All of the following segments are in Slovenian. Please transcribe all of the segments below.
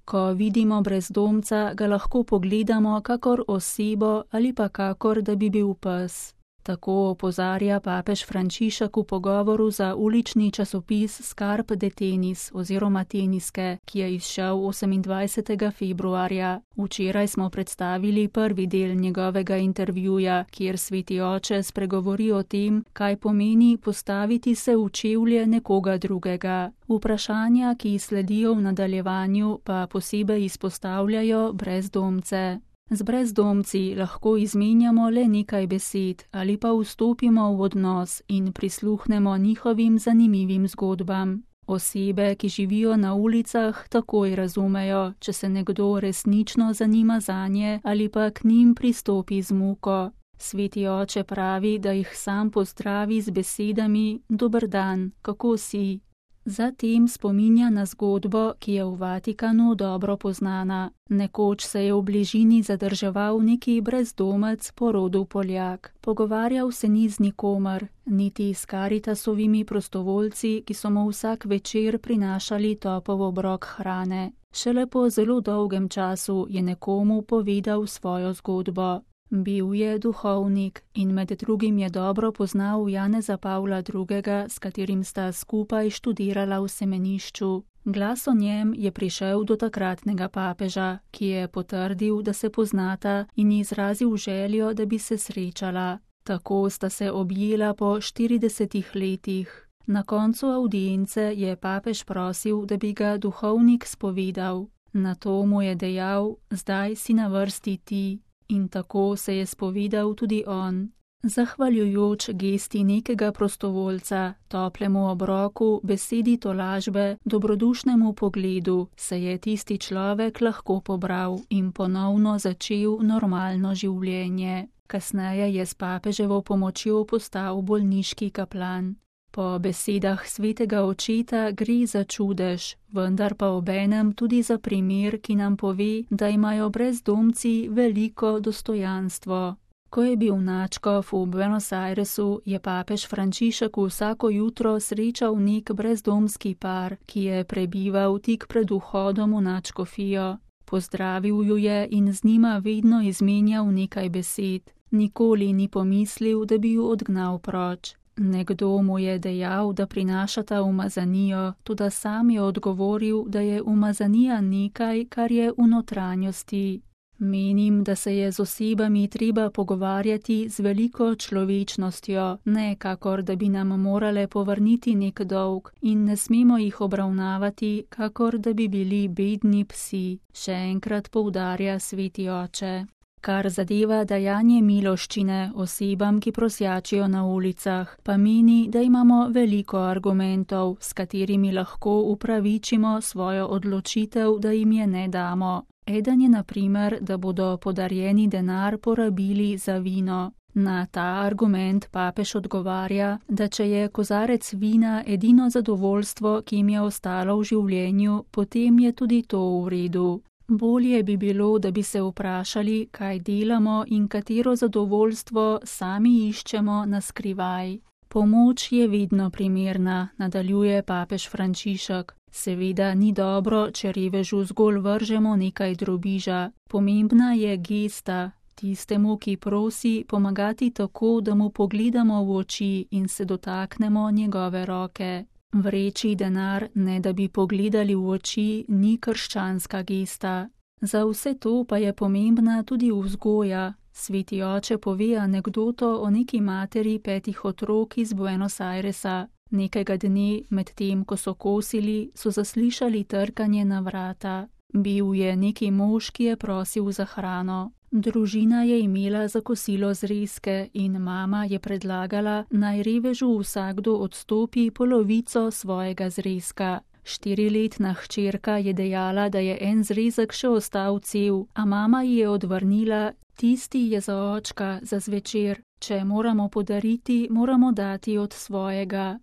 Ko vidimo brezdomca, ga lahko pogledamo kakor osebo ali pa kakor, da bi bil pes. Tako opozarja papež Frančišek v pogovoru za ulični časopis Scarpe de Tenis oziroma Teniske, ki je izšel 28. februarja. Včeraj smo predstavili prvi del njegovega intervjuja, kjer sveti oče spregovori o tem, kaj pomeni postaviti se v čevlje nekoga drugega. Vprašanja, ki sledijo v nadaljevanju, pa posebej izpostavljajo brezdomce. Z brezdomci lahko izmenjamo le nekaj besed ali pa vstopimo v odnos in prisluhnemo njihovim zanimivim zgodbam. Osebe, ki živijo na ulicah, takoj razumejo, če se nekdo resnično zanima zanje ali pa k njim pristopi z muko. Sveti oče pravi, da jih sam pozdravi z besedami: "Dober dan, kako si?" Zatem spominja na zgodbo, ki je v Vatikanu dobro poznana. Nekoč se je v bližini zadrževal neki brezdomec po rodu Poljak. Pogovarjal se ni z nikomer, niti s Karitasovimi prostovoljci, ki so mu vsak večer prinašali topel obrok hrane. Šele po zelo dolgem času je nekomu povedal svojo zgodbo. Bil je duhovnik in med drugim je dobro poznal Janeza Pavla II., s katerim sta skupaj študirala v semenišču. Glas o njem je prišel do takratnega papeža, ki je potrdil, da se poznata, in izrazil željo, da bi se srečala. Tako sta se objela po 40 letih. Na koncu avdience je papež prosil, da bi ga duhovnik spovedal. Nato mu je dejal: "Zdaj si na vrsti ti." In tako se je spovedal tudi on. Zahvaljujoč gesti nekega prostovoljca, toplemu obroku, besedi tolažbe, dobrodušnemu pogledu, se je tisti človek lahko pobral in ponovno začel normalno življenje. Kasneje je s papeževo pomočjo postal bolniški kaplan. Po besedah svetega očeta gre za čudež, vendar pa obenem tudi za primer, ki nam pove, da imajo brezdomci veliko dostojanstvo. Ko je bil nadškof v Buenos Airesu, je papež Frančišek vsako jutro srečal nek brezdomski par, ki je prebival tik pred vhodom v nadškofijo. Pozdravil ju je in z njima vedno izmenjal nekaj besed. Nikoli ni pomislil, da bi ju odgnal proč. Nekdo mu je dejal, da prinašata umazanijo, toda sam je odgovoril, da je umazanija nekaj, kar je v notranjosti. Menim, da se je z osebami treba pogovarjati z veliko človečnostjo, ne kakor da bi nam morale povrniti nek dolg, in ne smemo jih obravnavati, kakor da bi bili bedni psi, še enkrat poudarja sveti oče. Kar zadeva dajanje miloščine osebam, ki prosjačijo na ulicah, pa meni, da imamo veliko argumentov, s katerimi lahko upravičimo svojo odločitev, da jim je ne damo. Eden je na primer, da bodo podarjeni denar porabili za vino. Na ta argument papež odgovarja, da če je kozarec vina edino zadovoljstvo, ki jim je ostalo v življenju, potem je tudi to v redu. Bolje bi bilo, da bi se vprašali, kaj delamo in katero zadovoljstvo sami iščemo na skrivaj. Pomoč je vedno primerna, nadaljuje papež Frančišek. Seveda ni dobro, če revežu zgolj vržemo nekaj drobiža. Pomembna je gesta, tistemu, ki prosi, pomagati tako, da mu pogledamo v oči in se dotaknemo njegove roke. Vreči denar, ne da bi pogledali v oči, ni krščanska gesta. Za vse to pa je pomembna tudi vzgoja. Sveti oče pove anekdoto o neki materi 5 otrok iz Buenos Airesa. Nekega dne, medtem ko so kosili, so zaslišali trkanje na vrata. Bil je neki mož, ki je prosil za hrano. Družina je imela za kosilo zrezke in mama je predlagala, naj revežu vsakdo odstopi polovico svojega zrezka. 4-letna hčerka je dejala, da je en zrezek še ostal cel, a mama ji je odvrnila: "Tisti je za očka, za zvečer. Če moramo podariti, moramo dati od svojega."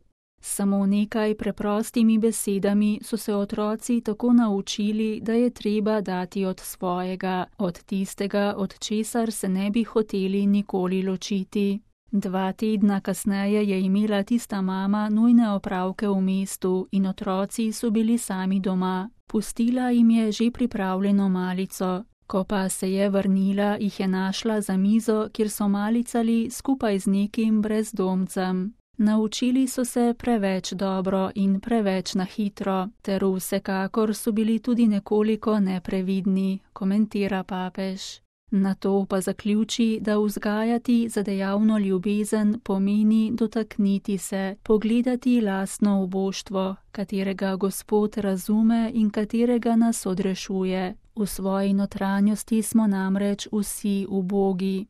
Samo nekaj preprostimi besedami so se otroci tako naučili, da je treba dati od svojega, od tistega, od česar se ne bi hoteli nikoli ločiti. 2 tedna kasneje je imela tista mama nujne opravke v mestu in otroci so bili sami doma. Pustila jim je že pripravljeno malico. Ko pa se je vrnila, jih je našla za mizo, kjer so malicali skupaj z nekim brezdomcem. Naučili so se preveč dobro in preveč na hitro, ter vsekakor so bili tudi nekoliko neprevidni, komentira papež. Nato pa zaključi, da vzgajati za dejavno ljubezen pomeni dotakniti se, pogledati lastno uboštvo, katerega Gospod razume in katerega nas odrešuje. V svoji notranjosti smo namreč vsi ubogi.